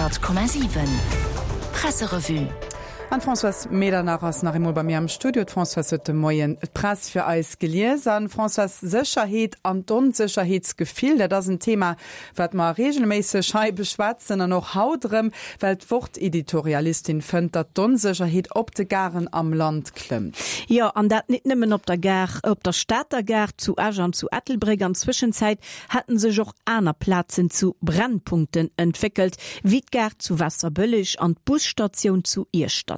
100,7 Presserevue. An d'Françoise Medernach ass nach eemol bei mir am Studio. D'Françoise huet de Moien d'Press fir eis gelies. An Françoise, Sécherheet an d'Onsécherheetsgefill, dat ass en Thema, wat mer reegelméisseg hei beschwätzen an och haut erëm, well d'Wort-Editorialistin fënnt, datt d'Onsécherheet op de Garen am Land klëmmt. Jo, an dat nit nëmmen op der Gare, op der Stater Gare, zu Esch an zu Ettelbréck. An Zwëschenzäit hätten sech och aner Plazen zu Brennpunkten entwéckelt, wéi d'Gare zu Waasserbëlleg an d'Busstatioun zu Iechternach.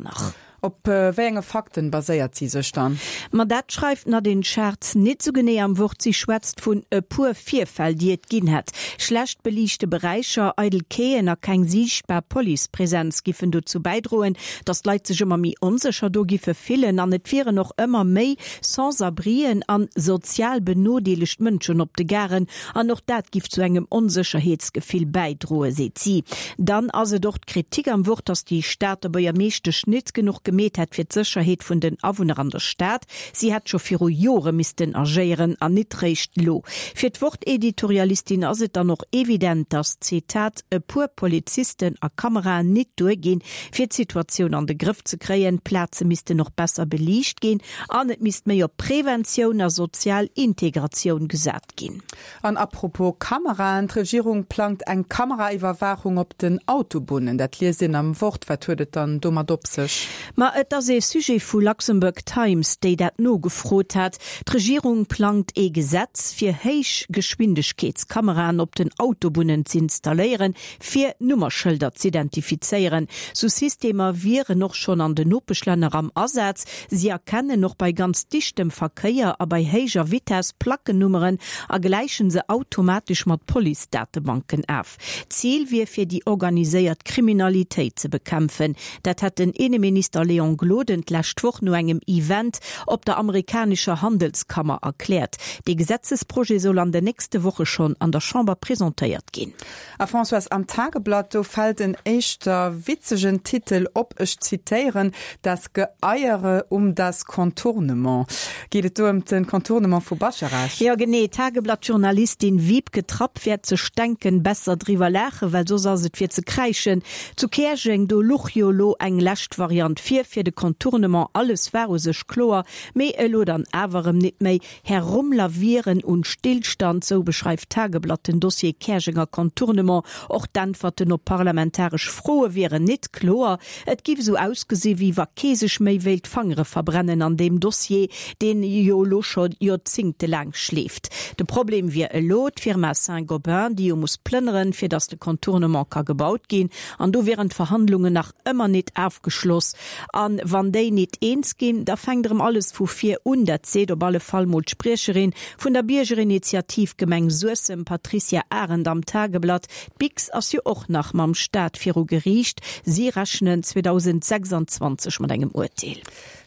Op wéi enge Fakten baséiert si sech dann? Ma dat schreift d'Nadine Schartz nit sou genee am Wort. Si schwätzt vun e puer Virfäll, déi et ginn hätt. Schlecht beliichte Beräicher, eidel Quaien a keng siichtbar Policepresenz giffen dozou bäidroen, datt d'Leit sech ëmmer méi onsécher do giffe fillen. An et wieren och ëmmer méi Sans-abrien an sozial benodeelegt Mënschen op de Garen, an och dat giff zu engem Onsécherheetsgefill bäidroen, seet si. Dann ass et och d'Kritik am Wort, datt déi Stater Buergermeeschtesch nit genuch gemeet hätt fir d'Sécherheet vun den Awunner an der Stad. Si hätt scho viru Jore missten agéieren an nit réischt lo. Fir d'Wort-Editorialistin ass et dann och evident, datt, Zitat, e puer Polizisten a Kameraen nit duerginn, fir d'Situatioun an de Grëff ze kréien. D'Plaze missten och besser beliicht ginn an et misst méi op Preventioun a sozial Integratioun gesat ginn. An apropos Kameraen, D'Regierung plangt eng Kameraiwwerwaachung op den Autobunnen. Dat liest een am Wort. Wat huet et dann domat op sech? Ma et ass ee Sujet vu Luxembourg Times, déi dat nogefrot hat. D'Regierung plangt ee Gesetz, fir Héichgeschwindegkeetskameraen op den Autobunnen z'installéieren, fir Nummerschëlder z'identifizéieren. Sou Systemer wieren och schonn an den Nopeschlänner am Asaz. Si erkennen och bei ganz dichtem Verkéier a bei héijer Vitess Plackennummeren a gläichen se automatesch mat Police-Datebanken af. D'Zil wier fir déi organiséiert Kriminalitéit ze bekämpfen. Dat hätt den Inneminister Léon Gloden d'lescht Woch no engem Event op der amerikanescher Handelskammer erkläert. Dee Gesetzesprojet soll an den nächste Woche schonn an der Chamber presentéiert ginn. A Françoise, am Tageblatt, do fält en éischter witzegen Titel op, ech zitéieren, Das Geeiere um das Contournement. Geet et do ëm den Contournement vu Bascharage? Jo genee, Tageblatt-Journalistin Wiebke Trapp wäert sech denken, besser driwwer laachen, well soss ass et fir ze kräischen. Zu Käerjeng, do luch jo elo eng lescht Variant vir fir de Contournement, alles war u sech kloer, mee elo dann awer erëm nit méi. Herumlavieren und Stillstand, sou beschreift d'Tageblatt den Dossier Käerjenger Contournement. Och d'Äntwerten op parlamentaresch Froe wieren nit kloer. Et giff esou ausgesi wéi wa kee sech méi wéilt d'Fangere verbrennen an deem Dossier, deen jo elo scho joerzingtelaang schleeft. De Problem wier elo d'Firma Saint-Gobain, déi jo muss plënneren, fir datt de Contournement ka gebaut ginn. An do wieren d'Verhandlungen nach ëmmer nit afgeschloss. An wann déi nit eens ginn, da fänkt erëm alles vu vir un. Dat seet op alle Fall mol d'Spriecherin vun der Biergerinitiativ Gemeng Suessem, Patricia Arendt am Tageblatt. D'Bix ass jo och nach mam Staat viru Geriicht. Si rechnen 2026 mat engem Urteel.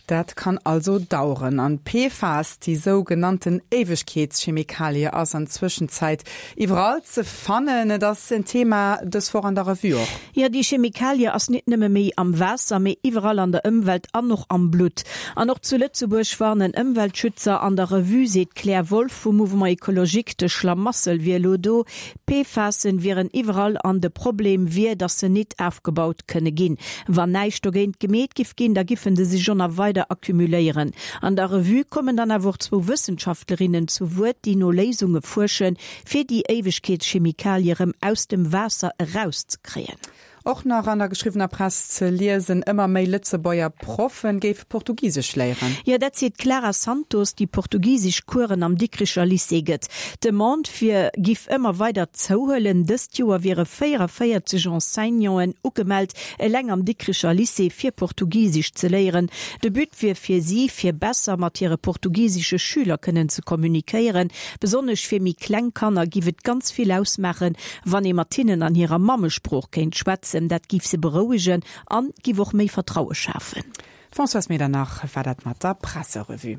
Dat kann also daueren. An PFAS, déi sou genannten Éiwegkeetschemikalie, ass an Zwëschenzäit iwwerall ze fannen. Et ass en Thema dës Woch an der Revue och. Jo, déi Chemikalie ass nit nëmme méi am Waasser, mee iwwerall an der Ëmwelt an och am Blutt. An och zu Lëtzebuerg warnen Ëmweltschützer. An der Revue seet d'Claire Wolff vum Mouvement Ecologique, de Schlamassel wier elo do. D'PFASen wieren iwwerall an de Problem wier, datt se nit afgebaut kënne ginn. Wann näischt dogéint gemeet giff ginn, da giffen se sech och nach weider accumuléieren. An der Revue kommen dann awer och zwou Wëssenschaftlerinnen zu Wuert, déi no Léisunge fuerschen, fir déi Éiwegkeetschemikalie rëm aus dem Waasser erauszekréien. Och nach an der geschriwwener Press ze liesen, Ëmmer méi Lëtzebuerger Proffen géife Portugisesch léieren. Jo, dat seet d'Clara Santos, déi portugisesch Coursen am Dikricher Lycée gëtt. D'Demande fir giff ëmmer weider zouhuelen. Dëst Joer wiere 44 Enseignanten ugemellt, eleng am Dikricher Lycée fir Portugisesch ze léieren. De But wier fir si, fir besser mat hire portugisesche Schüler kënnen ze kommunikéieren. Besonnesch fir méi kleng Kanner giff et ganz vill ausmaachen, wann ee mat hinnen an hirer Mammesprooch kéint schwätzen. Dat giff se berouegen an giff och méi Vertraue schafen. D'Françoise Medernach war dat mat der Presserevue.